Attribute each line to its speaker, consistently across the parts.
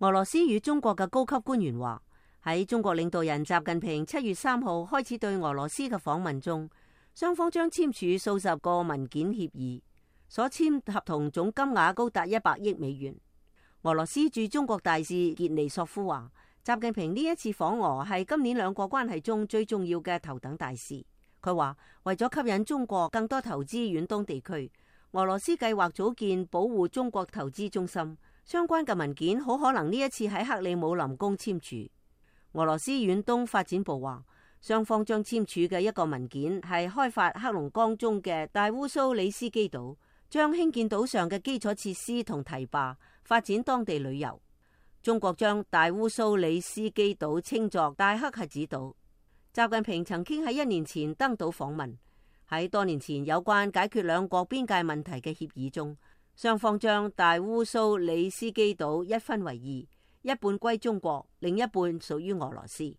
Speaker 1: 俄羅斯與中國嘅高級官員話，喺中國領導人習近平7月3號開始對俄羅斯嘅訪問中，雙方將簽署數十個文件協議，所簽合同總金額高達100億美元。俄羅斯駐中國大使傑尼索夫話，習近平呢一次訪俄係今年兩國關係中最重要嘅頭等大事。佢話為咗吸引中國更多投資遠東地區，俄羅斯計劃組建保護中國投資中心，相關嘅文件好可能呢一次喺克里姆林宮簽署。俄羅斯遠東發展部話，雙方將簽署嘅一個文件係開發黑龍江中嘅大烏蘇里斯基島，將興建島上嘅基礎設施同堤壩，發展當地旅遊。中國將大烏蘇里斯基島稱作大黑瞎子島。習近平曾經喺1年前登島訪問，喺多年前有關解決兩國邊界問題嘅協議中，雙方將大烏蘇里斯基島一分為2，一半歸中國，另一半屬於俄羅斯。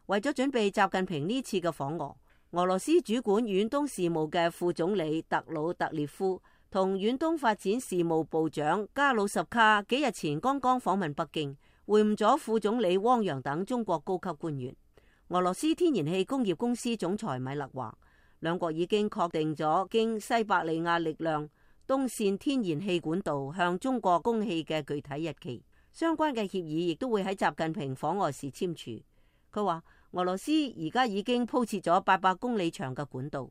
Speaker 1: 為咗準備習近平呢次嘅訪俄，俄羅斯主管遠東事務嘅副總理特魯特列夫同遠東發展事務部長加魯什卡幾日前剛剛訪問北京，會晤咗副總理汪洋等中國高級官員。俄羅斯天然氣工業公司總裁米勒話，兩國已經確定咗經西伯利亞力量東線天然氣管道向中國供氣嘅具體日期，相關嘅協議亦都會喺習近平訪俄時簽署。佢話俄羅斯而家已經鋪設咗800公里長嘅管道。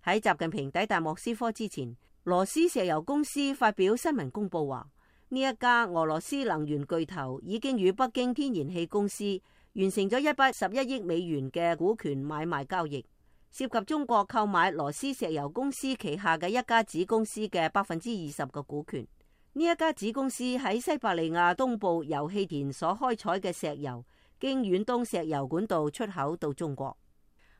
Speaker 1: 喺習近平抵達莫斯科之前，羅斯石油公司發表新聞公佈話，呢一家俄羅斯能源巨頭已經與北京天然氣公司完成咗111億美元嘅股權買賣交易，涉及中國購買羅斯石油公司旗下嘅一家子公司嘅20%嘅股權。呢一家子公司喺西伯利亞東部油氣田所開採嘅石油，經遠東石油管道出口到中國。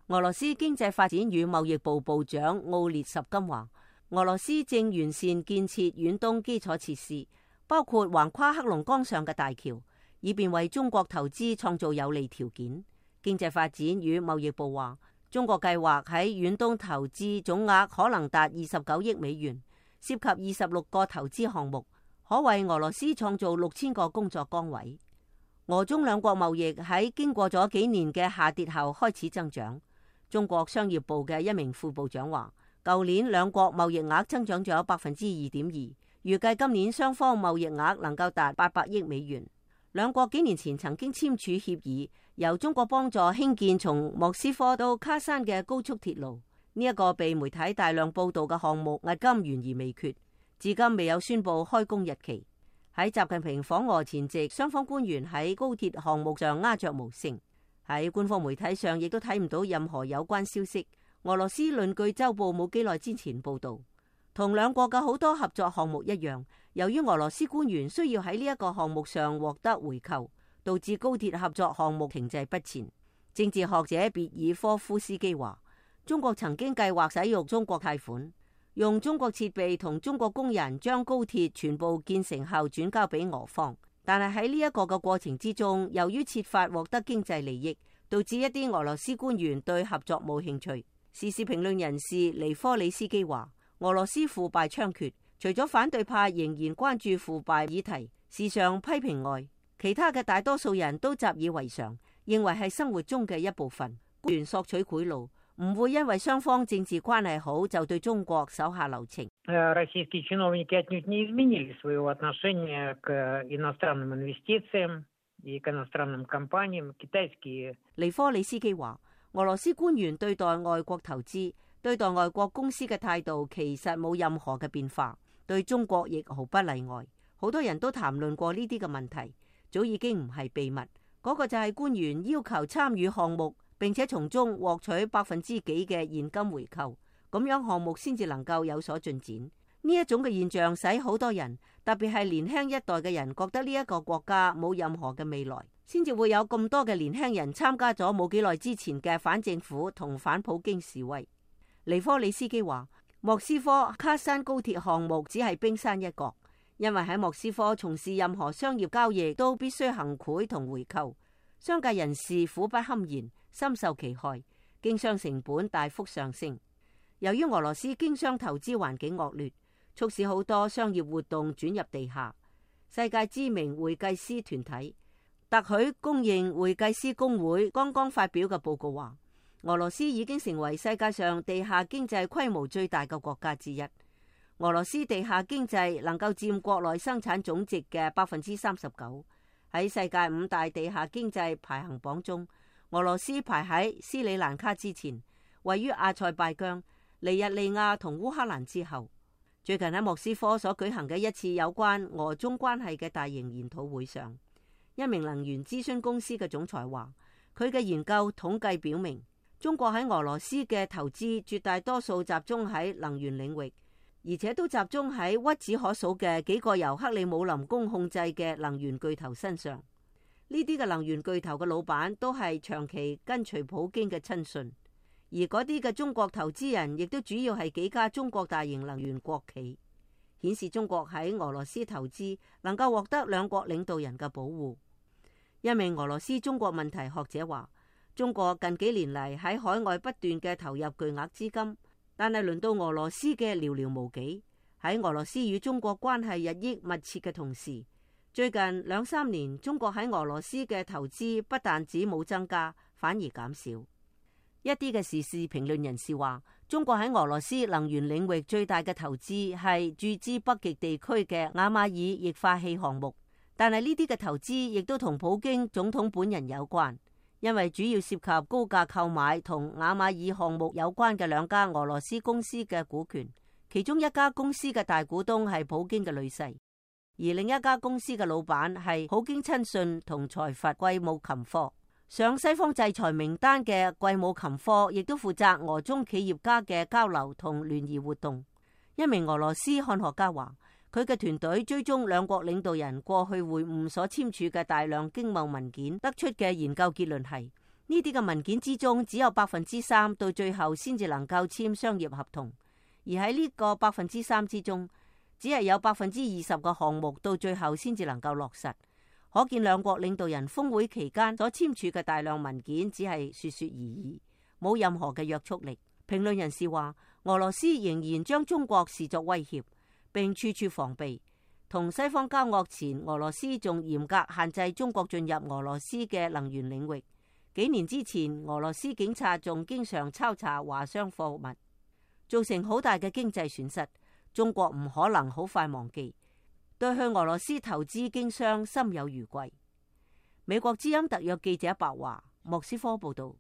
Speaker 1: 俄羅斯經濟發展與貿易部部長奧列什金話，俄羅斯正完善建設遠東基礎設施，包括橫跨黑龍江上嘅大橋，以便為中國投資創造有利條件。經濟發展與貿易部話，中國計劃喺遠東投資總額可能達29億美元，涉及26個投資項目，可為俄羅斯創造6000個工作崗位。俄中兩國貿易喺經過咗幾年嘅下跌後開始增長。中國商業部嘅一名副部長話，舊年兩國貿易額增長咗2.2%，預計今年雙方貿易額能夠達800億美元。兩國幾年前曾經簽署協議，由中國幫助興建從莫斯科到喀山嘅高速鐵路。呢一個被媒體大量報道嘅項目，至今懸而未決，至今未有宣布開工日期。喺習近平訪俄前夕，雙方官員喺高鐵項目上鴉雀無聲。喺官方媒體上亦都睇唔到任何有關消息。俄羅斯論據週報冇幾耐之前報道，同兩國嘅好多合作項目一樣，由於俄羅斯官員需要喺呢一個項目上獲得回扣，導致高鐵合作項目停滯不前。政治學者別爾科夫斯基話，中國曾經計劃使用中國貸款，用中國設備同中國工人將高鐵全部建成後轉交俾俄方，但係喺呢一個嘅過程之中，由於設法獲得經濟利益，導致一啲俄羅斯官員對合作冇興趣。時事評論人士尼科里斯基話，俄羅斯腐敗猖獗，除咗反對派仍然關注腐敗議題，時常批評外，其他嘅大多數人都習以為常，認為係生活中嘅一部分。官員索取賄賂，唔會因為雙方政治關係好就對中國手下留情。
Speaker 2: Российские чиновники отнюдь не изменили своего отношения к иностранным инвестициям и к иностранным компаниям. Китайские。
Speaker 1: 尼科里斯基話，俄羅斯官員對待外國投資、對待外國公司嘅態度其實冇任何嘅變化，對中國亦毫不例外。好多人都談論過呢啲嘅問題，早已經唔係秘密。嗰個就係官員要求參與項目，並且從中獲取%幾嘅現金回扣，咁樣項目先至能夠有所進展。呢一種嘅現象使好多人，特別係年輕一代嘅人，覺得呢一個國家冇任何嘅未來，先至會有咁多嘅年輕人參加咗冇幾耐之前嘅反政府同反普京示威。尼科里斯基話，莫斯科喀山高鐵項目只係冰山一角，因為喺莫斯科從事任何商業交易都必須行賄同回扣，商界人士苦不堪言，深受其害，經商成本大幅上升。由於俄羅斯經商投資環境惡劣，促使好多商業活動轉入地下，世界知名會計師團體特許公認會計師公會剛剛發表嘅報告話，俄羅斯已經成為世界上地下經濟規模最大嘅國家之一。俄羅斯地下經濟能夠佔國內生產總值嘅39%。喺世界5大地下經濟排行榜中，俄羅斯排喺斯里蘭卡之前，位於阿塞拜疆、尼日利亞同烏克蘭之後。最近喺莫斯科所舉行嘅一次有關俄中關係嘅大型研討會上，一名能源諮詢公司嘅總裁話，佢嘅研究統計表明，中國喺俄羅斯嘅投資絕大多數集中喺能源領域，而且都集中喺屈指可數嘅幾個由克里姆林宮控制嘅能源巨頭身上。呢啲嘅能源巨頭嘅老闆都係長期跟隨普京嘅親信，而嗰啲嘅中國投資人亦都主要係幾家中國大型能源國企，顯示中國喺俄羅斯投資能夠獲得兩國領導人嘅保護。一名俄羅斯中國問題學者話，中國近幾年嚟喺海外不斷嘅投入巨額資金，但係輪到俄羅斯嘅寥寥無幾。喺俄羅斯與中國關係日益密切嘅同時，最近2-3年，中國喺俄羅斯嘅投資不但止冇增加，反而減少。一啲嘅時事評論人士話，中國喺俄羅斯能源領域最大嘅投資係注資北極地區嘅雅馬爾液化氣項目，但係呢啲嘅投資亦都同普京總統本人有關，因為主要涉及高價購買同雅馬爾項目有關嘅兩家俄羅斯公司嘅股權，其中一家公司嘅大股東係普京嘅女婿。而另一家公司嘅老闆係普京親信同財閥季姆琴科。上西方制裁名單嘅季姆琴科亦都負責俄中企業家嘅交流同聯誼活動。一名俄羅斯漢學家話，佢嘅團隊追蹤兩國領導人過去會晤所簽署嘅大量經貿文件，得出嘅研究結論係，呢啲嘅文件之中只有3%到最後先至能夠簽商業合同，而喺呢個3%之中，只係有20%嘅項目到最後先至能夠落實，可見兩國領導人峰會期間所簽署嘅大量文件只係說說而已，冇任何嘅約束力。評論人士話，俄羅斯仍然將中國視作威脅，並處處防備。同西方交惡前，俄羅斯仲嚴格限制中國進入俄羅斯嘅能源領域。幾年之前，俄羅斯警察仲經常抄查華商貨物，造成好大嘅經濟損失。中國唔可能好快忘記，對去俄羅斯投資經商心有餘悸。美國之音特約記者白華，莫斯科報道。